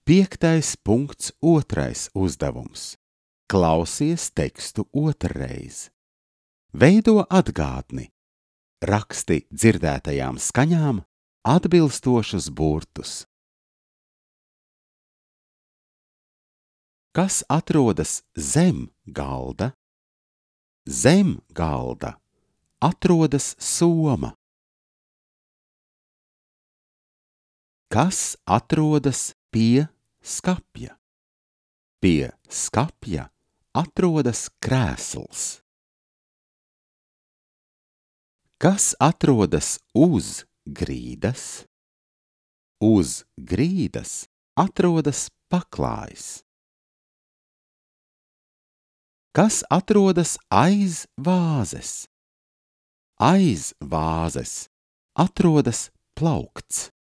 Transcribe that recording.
5.2. uzdevums. Klausies tekstu otrreiz. Veido atgādni. Raksti dzirdētajām skaņām atbilstošus burtus. Kas atrodas zem galda? Zem galda atrodas soma. Kas atrodas pie skapja? Pie skapja atrodas krēsls. Kas atrodas uz grīdas? Uz grīdas atrodas paklājs. Kas atrodas aiz vāzes? Aiz vāzes atrodas plaukts.